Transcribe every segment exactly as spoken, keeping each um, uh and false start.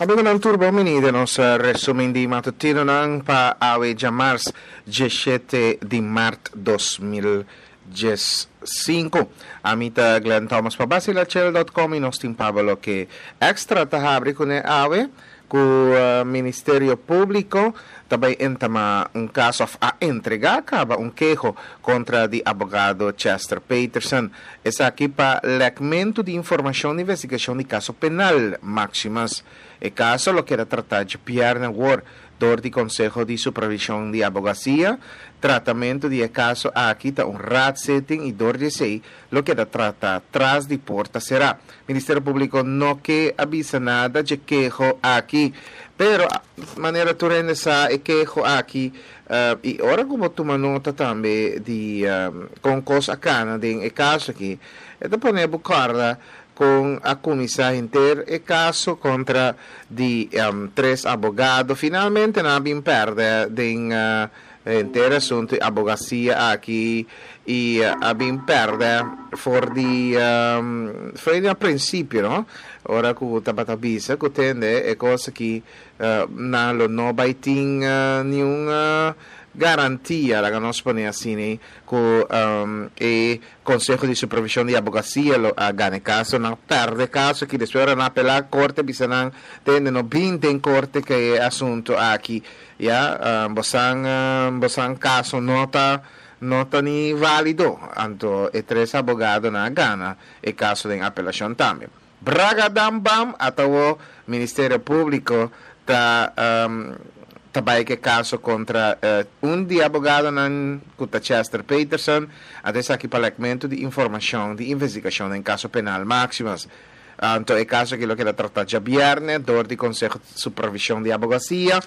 Amigonan tur bon bini den nos resumen di matutinonan pa awe djamars diesshete di mart dos mil dies sinku. Ami ta Glenn Thomas pa Basilachel dot com i nos tin pa bo loke Extra ta habri kuné awe ku Ministerio Públiko ta bai entamá un kaso òf a entregá kaba un keho kontra di abogado Chester Peterson. Esaki pa lèkmentu di informashon di investigashon di kaso penal Maximus. E kaso lo keda tratá djabièrnè awor dor di Konseho di Supervishon di Abogasia. Tratamentu di e kaso aki ta un raadszitting i dor di esei lo keda tratá tras di porta será. Ministerio Públiko no ke a bisa nada dje keho aki. Pero, manera tur hende sa, e keho aki, i ora ku bo tuma nota tambe di kon kos a kana den e kaso aki, e ta pone bo kòrda kon a kuminsá henter e kaso kontra di tres abogado. Finalmente nan a bin pèrdè den henter asuntu di abogasia aki i a bin pèrdè for di for di na prinsipio, no? Ora ku tabata bisa ku tende e kos aki nan lo no bai tin niun garantia, laga nos pone asina, ku e Konseho di Supervishon di Abogasia lo a gana e kaso. Nan pèrdè e kaso aki, despues ora nan apelá korte bisa nan tende no bin den korte ku e asuntu aki, ya, bosan bosan kaso no ta no ta ni válido. Anto e tres abogadonan a gana e kaso den apelashon tambe. Bragadambam, ata awor Ministerio Públiko ta ta bai ku e kaso kontra un di abogadonan ku ta Chester Peterson, anto esaki pa lèkmentu di informashon di investigashon den kaso penal Maximus. Anto e kaso aki lo keda tratá djabièrnè dor di Konseho Supervishon di Abogasia.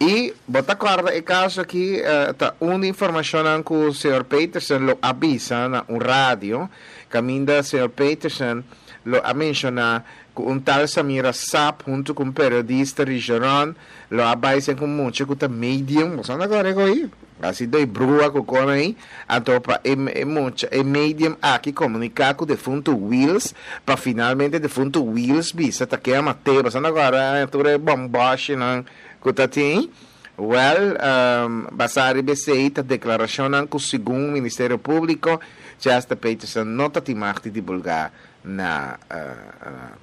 I bo ta kòrda e kaso aki ta un di informashonnan ku señor Peterson lo a bisa na un radio, kaminda señor Peterson lo a menshoná ku un tal Samira Sap huntu ku un periodista Rigeron lo a bai sen ku mucha ku ta medium, bo sa na kòrda e ko'i? Asi doi brua ku kon ei, anto pa e e mucha e medium aki komuniká ku defuntu Wiels pa finalmente defuntu Wiels bisa ta ke a mat'é, bo sa na kòrda tur e bòmbòshinan ku ta tin? Wèl, basá riba esei ta deklarashonnan ku segun Ministerio Públiko Chester Peterson no ta tin mag di divulgá na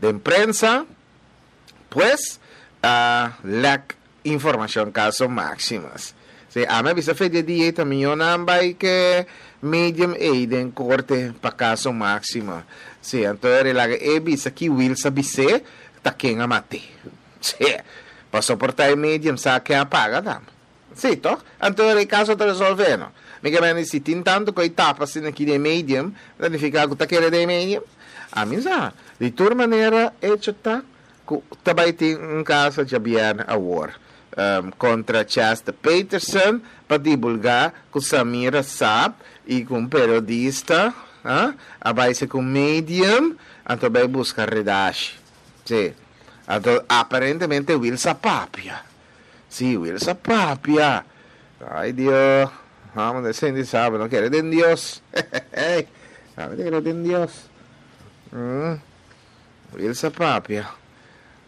den prensa, pues a lèk informashon kaso Maximus. Si, ami a bisa fe di e dia ei ta mihó nan bai ke medium ei den korte pa kaso Maximus. Si, anto e relaga e bisa ki Wiels a bis'é ta ken a mat'é. Si, pa soportá e medium sa ken a paga tambe. Si, toch? Anto e kaso ta resolvé, no? Mi ke mende si tin tantu ku e tapa asina aki den e medium, ta nifiká ku ta kere den e medium? Ami sa. Di tur manera, echo ta ku ta bai tin un kaso djabièrnè awor kontra Chester Peterson pa dibulgá ku Samira Saab i ku un periodista a bai se ku un medium anto bai buska redashi. Sí. Anto aparentemente Wil sa papia. Sí, Wil sa papia. Ay Dios. Amo de Cindy sabe, no kere den Dios. Amo kere den Dios. Mm. Wil sa papia.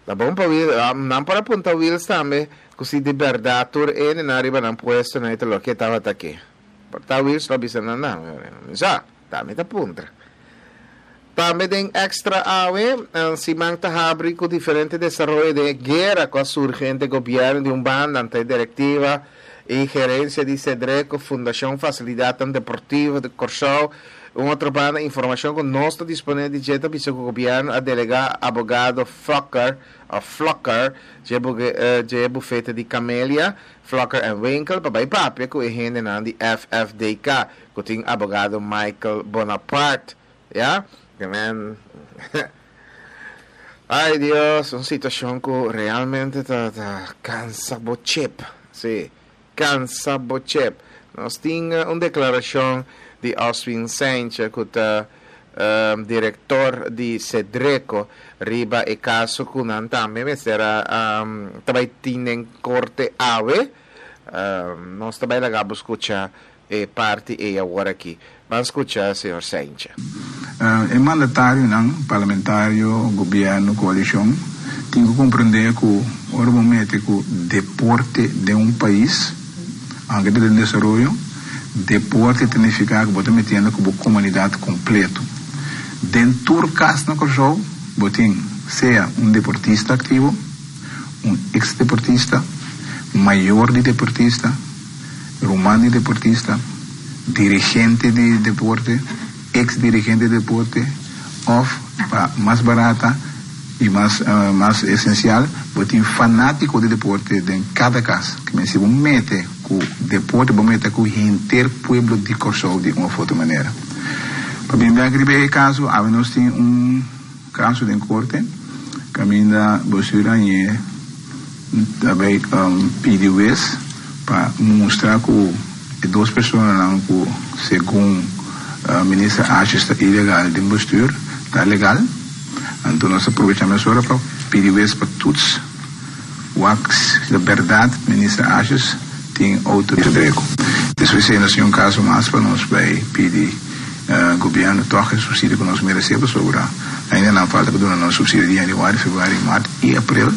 Ta bon pa Wil, nan por apunta Wils tambe, ku si di berdad tur ene na riba nan puesto na ito loke tabata ke. Por ta Wils lo bisa nan nan. Sa, tambe ta puntra. Tambe den Extra awe, siman ta habri ku diferente desaroyo den e guera ku a surgi entre gobièrnu di un banda ante e direktiva i gerensia di Sedreko, Fundashon Fasilidatnan Deportivo di Kòrsou. Un otro banda, informashon ku nos ta disponé di dje ta bisa ku gobièrnu a delegá abogado Fokker òf Flokker dje dje bufete di Camelia, Flokker en Winkel pa bai papia ku e hendenan di F F D K ku tin abogado Michael Bonaparte. Ya, men. Ay Dios, un situashon ku realmente ta, ta kansa bo chip. Si, kansa bo chip. Nos tin un deklarashon di Oswin Sanchez ku ta um, direktor di Sedreko riba e kaso ku nan tambe mester um, tambe tin den korte awe. Um, nos tambe laga bo skucha e parti ei awor aki. Ban skucha señor Sanchez. Uh, e mandatarionan, parlamentario, gobièrnu, koalishon, tin Tin ku komprondé ku ora bo mete ku deporte den un pais, aunke ta den desaroyo, deporte ta nifiká ku bo ta metiendo ku bo komunidat kompleto. Den tur kas na Kòrsou bo tin sea un deportista aktivo, un eks deportista, mayor di deportista, ruman di deportista, dirigente di deporte, eks dirigente di deporte òf pa mas barata i mas mas esensial bo tin fanátiko di deporte den kada kas. Ke men si bo mete ku deporte bo mete ku henter pueblo di Kòrsou di un òf otro manera. Pa bin bèk riba e kaso awe nos tin un kaso den korte kaminda Bosur Añe ta bai pidi wes pa mustra ku e dos personanan ku segun Minister Asjes ta ilegal den bestuur ta legal. Anto nos ta probecha mesora pa pidi wes pa toets wak si ta berdad Minister Asjes tin outoridad. Despues ei nos tin un kaso mas pa nos bai pidi Gobierno tòg e subsidio ku nos meresé pasobra ainda nan falta pa duna nos subsidio di yanüari, febrüari, mart i aprel.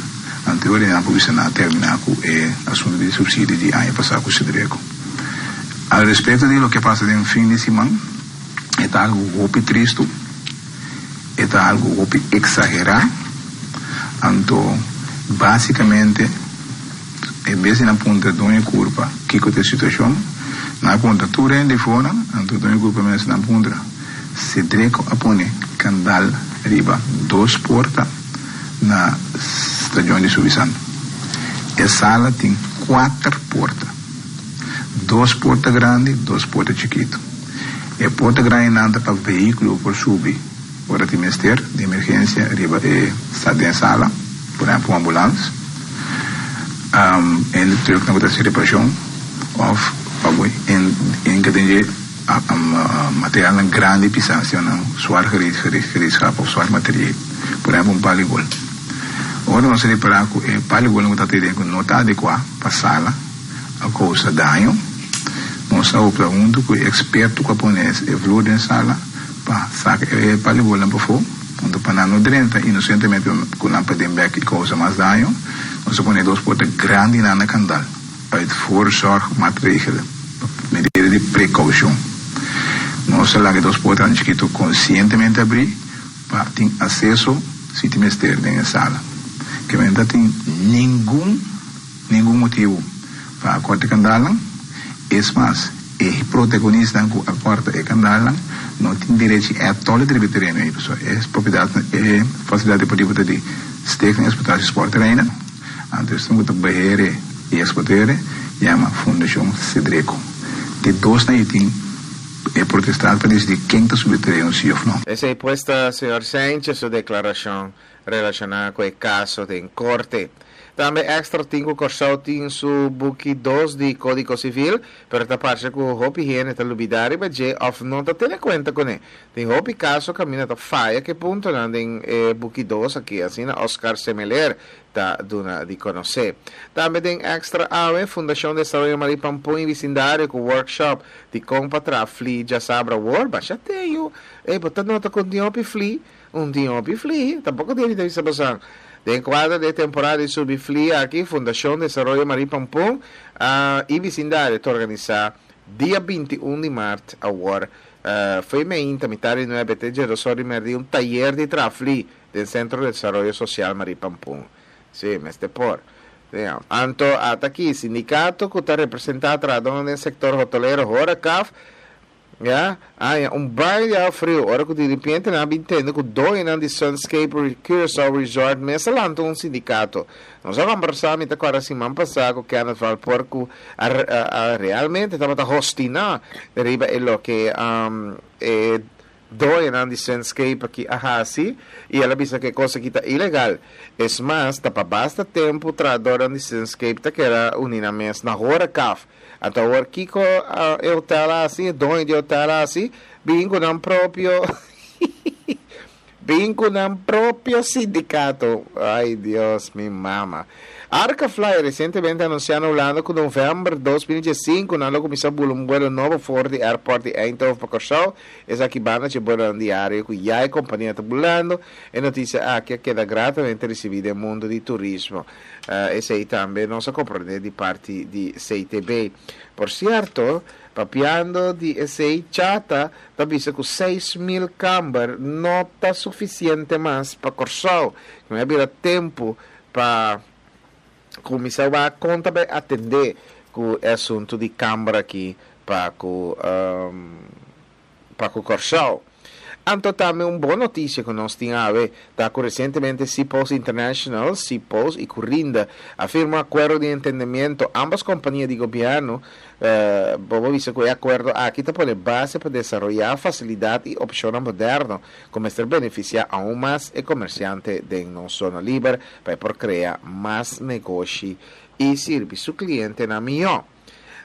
Anto e nan por bisa nan a terminá ku e asuntu di subsidio di aña pasá ku Sedreko. Al respekto di loke a pasa den fin di siman, e ta algu hopi tristu, e ta algu hopi eksagerá. Anto básikamente en bes di nan puntra doño kurpa kiko ta e situashon, nan a puntra tur hende for, anto doño kurpa mes nan puntra. Sedreko a pone kandal riba dos porta na stadion di Subisan. E sala tin kuater porta. Dos porta grandi, dos porta chikitu. E porta grandinan ta pa vehíkulo por subi ora tin mester di emergensia riba e den sala, por ehèmpel un ambulans, hende trùknan ku ta hasi reparashon òf pa bo hinka den dje materialnan grandi pisá, asina zwaar gereedschap òf zwaar materieel, por ehèmpel un paligol. Ora nos a ripará ku e paligolnan ku ta den ku no ta adekuá pa sala a kousa daño, nos a opta huntu ku e eksperto ku a pone e vloer den sala pa saka e paligolnan pafó, anto pa nan no drenta inosentemente ku nan paden bèk i kousa mas daño, nos a pone dos porta grandinan na kandal uit voorzorgmaatregelen, medida di prekoushon. Nos a laga e dos portanan chikitu konsientemente abrí pa tin aseso si tin mester den e sala. Ke men ta tin ningun ningun motibu pa a kòrta e kandalnan. Es mas, e protagonistanan ku a kòrta e kandalnan no tin derechi ètòl di riba e tereno ei, pasobra e propiedatnan, e fasilidat deportivo ta di Stichting Exploitatie Sportterreinen. Anto esnan ku ta behere i eksplotere yama Fundashon Sedreko. Di dosnan ei tin e protestat pa disidí ken ta subi e tereno si òf no. Esei pues ta señor Sanchez su deklarashon relashoná ku e kaso den korte. Tambe Extra tin ku Kòrsou tin su buki dos di Kódigo Sivil, pero ta parse ku hopi hende ta lubidá riba dje òf no ta tene kuenta kuné. Tin hopi kaso kaminda ta faya ku e puntonan den e buki dos aki, asina Oscar Semeler ta duna di konosé. Tambe den Extra awe, Fundashon Desaroyo Marie Pampun i Bisindario ku workshop di kon pa traha fli djasabra awor. Basha teyu! Ey, bo ta nota ku un tin hopi fli? Un tin hopi fli? Tampoko tin di ta bisa bosan. Den kuadro di e temporada di subi fli aki, Fundashon Desaroyo Marie Pampun i Bisindario ta organisá dia binti un di mart awor, fo'i meinta mitar di nuebe te djedos or di mèrdi un tayer di traha fli den Sentro Desaroyo Sosial Marie Pampun. Sí, mester por. Anto ata aki, sindikato ku ta representá trahadónan den sektor hotolero Horecaf, ya, haña un baño di awa friu ora ku diripiente nan a bin tende ku doñonan di Sunscape Curaçao Resort mes a lanta un sindikato. Nos a kombersá, mi ta kòrda siman pasá, ku Kenneth Valpoort ku a a realmente tabata hostiná riba e loke e doñonan di Sunscape aki a hasi i el a bisa ku e kos aki ta ilegal. Es mas, ta pa basta tempu trahadornan di Sunscape ta keda uni nan mes na Horecaf. Anto awor kiko e hotel a hasi, e doño di e hotel a hasi? Bin ku nan propio Bin ku nan propio sindikato. Ay Dios, mi mama. Arkafly resientemente a anunsiá na Hulanda ku novèmber dos mil diesinku nan lo kuminsá bula un buelo nobo for di airport di Eindhoven pa Kòrsou. Esaki banda dje buelonan diario ku ya e kompania ta bulando. E notisia aki a keda gratamente risibí den mundu di turismo. Esei tambe nos a komprondé di parti di C T B. Por sierto, papiando di esei, Chata ta bisa ku seis mil kamber no ta sufisiente mas pa Kòrsou. Ku a bira tempu pa kuminsá wak kon ta bai atendé ku e asuntu di kamber aki pa ku pa ku Kòrsou. Anto tambe un bon notisia ku nos tin awe ta ku resientemente Cpost International, Cpost i Currinda a firma un akuerdo di entendimentu. Ambos kompania di gobièrnu, eh, bo por bisa ku e akuerdo aki ta pone base pa desaroyá fasilidat i opshonnan moderno ku mester benefisiá aún mas e komersiante den nos zona liber pa por krea mas negoshi i sirbi su klientenan mihó.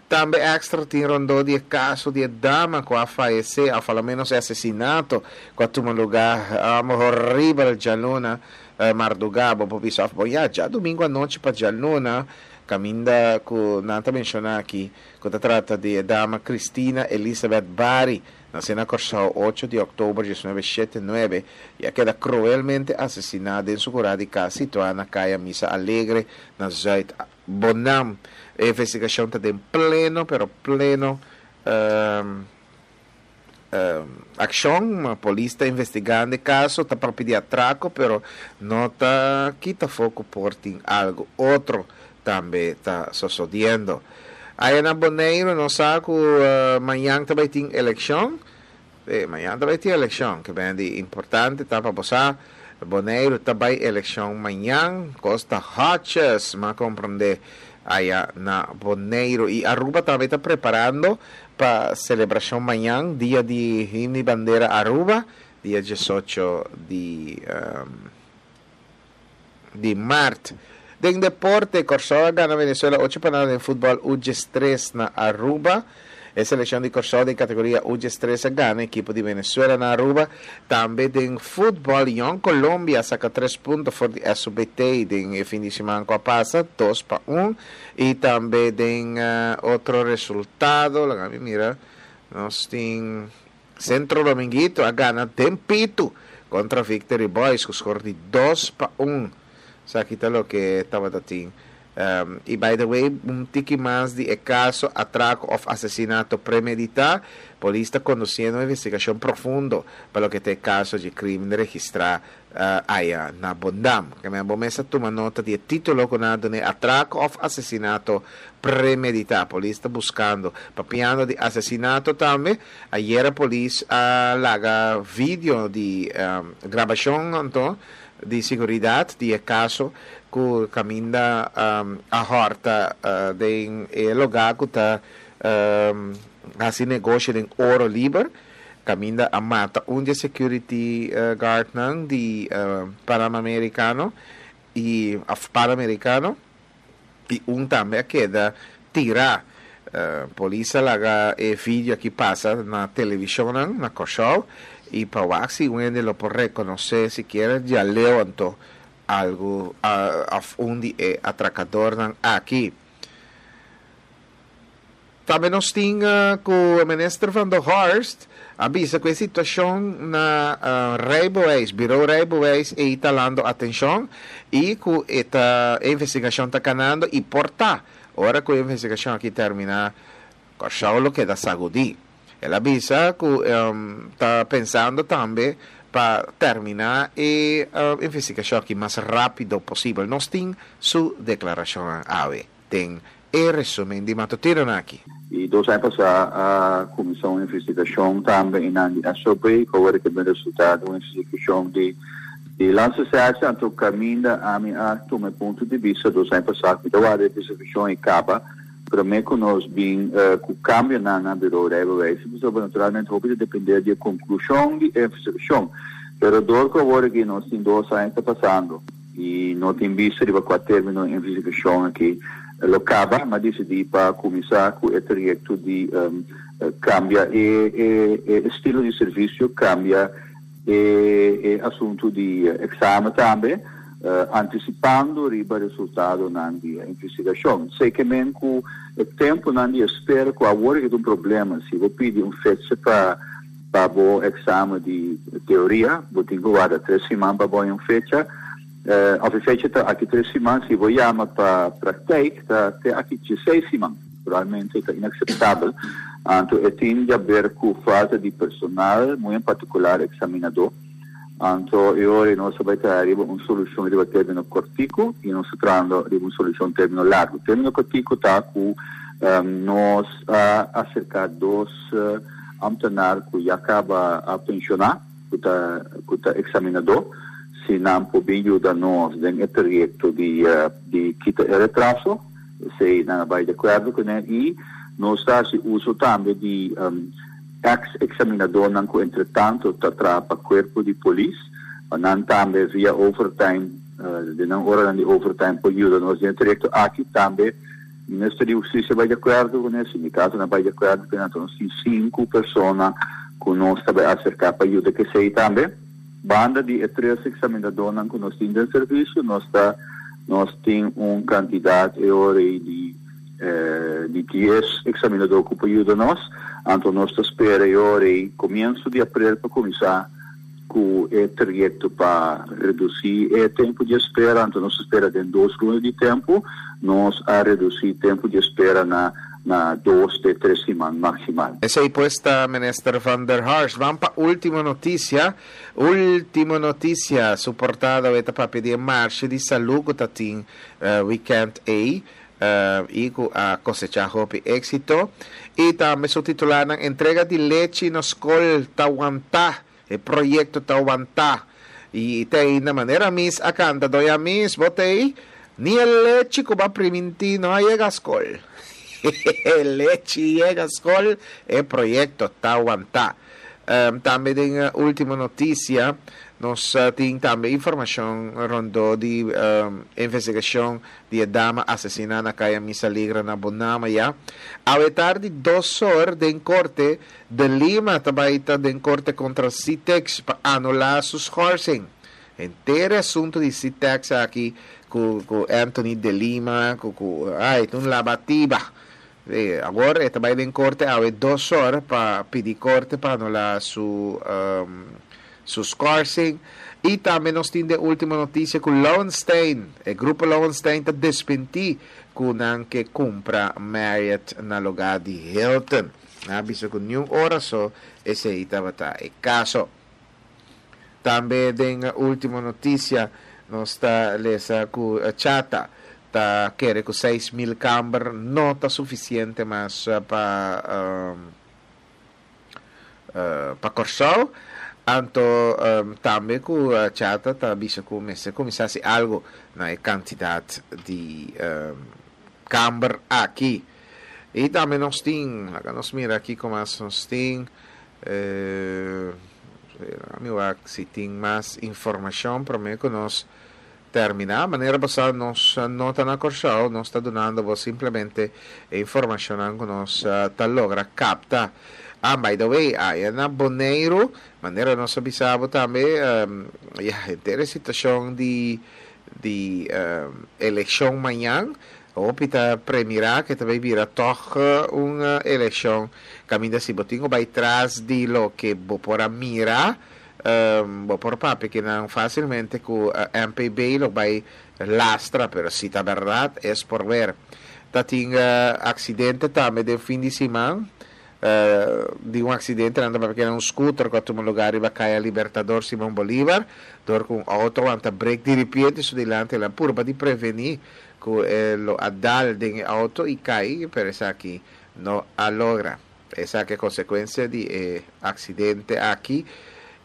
Tambe Extra tin rondó di e kaso di e dama ku a fayesé, òf a lo ménos e asesinato ku a tuma lugá um, horibel djaluna uh, mardugá, bo por bisa, bon ya, djadumingu anochi pa djaluna, kaminda ku nan ta menshoná aki, ku ta trata di e dama Cristina Elizabeth Barry, nasé na Kòrsou ocho di òktober di mil nuebe shetenta i nuebe i a keda kruelmente asesiná den su kurá di kas situá na Kaya Misa Alegre, na Zuid Bonam. E investigashon ta den pleno, pero pleno um, um, akshon. Polis ta investigando e kaso, ta pa pidi atrako, pero no ta kita afó ku por tin algu otro tambe ta susediendo. Ei na Boneiru, nos sa ku uh, mañan tambe tin elekshon. Eh, mañan tambe tin elekshon, ku ta di importante, ta pa bo. Boneiru tambe elekshon mañan, Costa Hodges, m'a komprondé aya na Boneiru. I Aruba tambe ta preparando pa selebrashon mañan, dia di Himno i Bandera Aruba, dia diesocho di, um, di mart. Den deporte, Kòrsou a gana Venezuela ocho pa nada den futbòl U diestres na Aruba. E selekshon di Kòrsou den kategoria U diestres a gana ekipo di Venezuela na Aruba. Tambe den futbòl, Jong Colombia a saka tres punto for di S U B T den fin di siman ku a pasa, dos pa un. I tambe den uh, otro resultado, laga mi mira, nos tin Centro Dominguito a gana den pitu kontra Victory Boys, ku score di dos pa un. Esaki ta loke tabatin. Um, i by the way, un tiki mas di e kaso atrako òf asesinato premeditá. Polis ta kondusiendo un investigashon profundo pa loke ta e kaso di krímen registrá uh, aya na Bondam. Ke men bo mes a tuma nota di título ku nan a duna atrako òf asesinato premeditá. Polis ta buskando, papiando di asesinato tambe. Ayera polis a laga video di um, grabashon anto di seguridat di e kaso ku kaminda um, a hòrta uh, den e lugá ku ta um, hasi negoshi den oro liber, kaminda a mata un di security uh, guard nan di uh, Panamericano i af Panamericano i un tambe a keda tirá. Uh, polis a laga e video aki pasa na televishon na Kòrsou i pa wak si un hende lo por rekonosé sikiera djaleu anto algu uh, òf un di e atrakadornan aki. Tambe nos tin uh, ku minister Van der Horst a bisa ku e situashon na uh, rijbewijs, bureau rijbewijs e ta halando atenshon i ku e investigashon ta kanando i por ta ora ku e investigashon aki terminá, Kòrsou lo keda sagudí. El a bisa ku um, ta pensando tambe pa terminá e uh, investigashon aki mas rápido posibel. Nos tin su deklarashon awe. Den e resúmen di matutino aki. I dos aña pasá a kuminsá un investigashon tambe na S O B, ku awor ku e resultado un investigashon di di Landsrecherche, anto kaminda ami a tuma punto di bista dos aña pasá, ku e investigashon a kaba, promé ku nos bin uh, ku kambio na na bureau rijbewijs, pasobra naturalmente hopi ta dependé di konklushon di investigashon. Pero dor ku awor ku nos tin dos aña ta pasando i no tin bista di kua término e investigashon aki lo kaba, m'a disidí pa kuminsá ku e trayekto di um, kambia e, e, e estilo di servisio, kambia e, e asuntu di eksamen tambe, uh, antisipando riba resultado nan di investigashon. Sei ke men ku e tempu nan di espera ku awor ku un problema, si bo pidi un fecha pa pa bo eksamen di teoria, bo tin ku warda tres siman pa un fecha, uh, of fecha ta aki tres siman, si bo yama pa praktijk, ta te aki seis siman. Realmente ta inakseptabel. Anto, e tin di aber ku falta di personal, muchu en partikular eksaminadó. Anto, awor nos ta bai traha un solushon di término kòrtiku i nos ta trahando un solushon término largu. Término kòrtiku ta ku um, nos a aserká dos uh, ambtenaar ku ya kaba a penshoná, ku ta ku ta eksaminadó, si nan por yuda nos den e trayekto di uh, di kita e retraso, si nan bai di akuerdo kuné, i nos ta hasi uso tambe di um, ex-eksaminadó nan ku entretantu ta traha pa kuerpo di polis, nan tambe via overtime, uh, di nan ora di overtime por yuda nos den trayekto aki tambe. Minister di Hustisia bai di akuerdo kuné, sindikato nan bai di akuerdo kuné, anto nos tin sinku persona ku nos tambe a aserká pa yuda ku esei tambe. Banda di tres eksaminadó nan ku nos tin den servisio, nos ta nos tin un kantidat di eh, di dies eksaminadó ku por yuda nos, anto nos ta spera komienso di aprel pa kuminsá ku e trayekto pa redusí e tempu di espera, anto nos ta spera den dos luna di tempu, nos a redusí tempu di espera na na dos te tres siman maksimal. Esei pues ta Minister Van der Harst. Ban pa Ultimo Noticia. Ultimo Noticia, su portada ta papia di marshe di salú ku tatin uh, weekend ei uh, i ku a kosechá hopi éksito. I tambe su titular: "Entrega di lechi na skol ta wantá. E proyekto ta wantá." I tin na manera Miss a kanta, doña Miss, bo t'ei, "Ni e lechi ku b'a primintí no a yega skol." Lechi yega skol, e proyekto ta wantá. Um, tambe den uh, Ultimo Noticia, nos uh, tin tambe informashon rondó di um, investigashon di dama asesiná na Kaya Misa Ligra na Bonama ya. Awe tardi dos or den korte, De Lima tambe ta den korte kontra Citex pa anulá su schorsing. Henter asuntu di Citex aki ku, ku Anthony De Lima, ku, ku ai, un labatiba. Eh, awor e tambe den korte awe dos or pa pidi korte pa anulá su um, su schorsing. I tambe nos tin di Ultimo Noticia ku Lowenstein, e grupo Lowenstein ta desmentí ku nan ke kumpra Marriott na lugá di Hilton. Nan a bisa ku niun ora so esei tabata e kaso. Tambe den Ultimo Noticia nos ta lesa ku Chata ta kere ku seis mil kamber no ta sufisiente mas pa um, uh, pa Kòrsou. Anto um, tambe ku uh, Chata ta bisa ku mester kuminsá hasi algu na kantidat di um, kamber aki. I tambe nos tin, laga nos mira aki kon mas nos tin, eh, mi si tin mas informashon promé ku nos terminá. Manera pasá nos no ta na Kòrsou, nos ta dunando simplemente informashon ku nos ta logra kapta. Ah, by the way, aya na Boneiru, manera nos a bisa tambe, um, ya, henter situashon di di um, elekshon mañan, hopi ta premirá ku tambe bira toch un elekshon kaminda si bo tin ku bai tras di loke bo por a mira, um, bo por papia ku nan fásilmente ku uh, M P B lo bai lastra, pero si ta berdat es por ver. Tatin uh, aksidente tambe den fin di siman, uh, di un aksidente anda pasobra un scooter ku a tuma lugá riba Kaya Libertador Simon Bolívar, dor ku un outo a brek di repente su dilanti, el a purba di prevení ku e lo a dal den outo i kai, pero esaki no a logra. Esaki ta konsekuensia di eh, aksidente aki.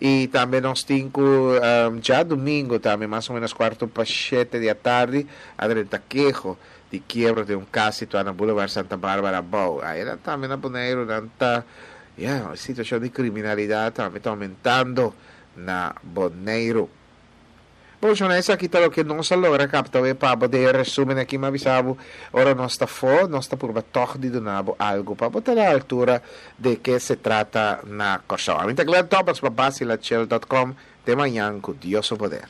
I tambe nos tin ku um, djadumingu tambe mas o ménos kuartu pa shete di atardi a drenta keho di kiebro di un kas situá na Boulevard Santa Barbara Bou. Ei tambe na Boneiru ta ya, e situashon di kriminalidat tambe ta oumentando na Boneiru. Bon, esaki ta loke nos a logra kapta pa bo den resúmen aki, m'a bisa bo, ora nos ta afó, nos ta purba tòg di duna bo algu pa bo ta na altura di ke se trata na Kòrsou. Ami ta Glenn Thomas pa Basilachel punto com. Te mañan ku Dios su poder.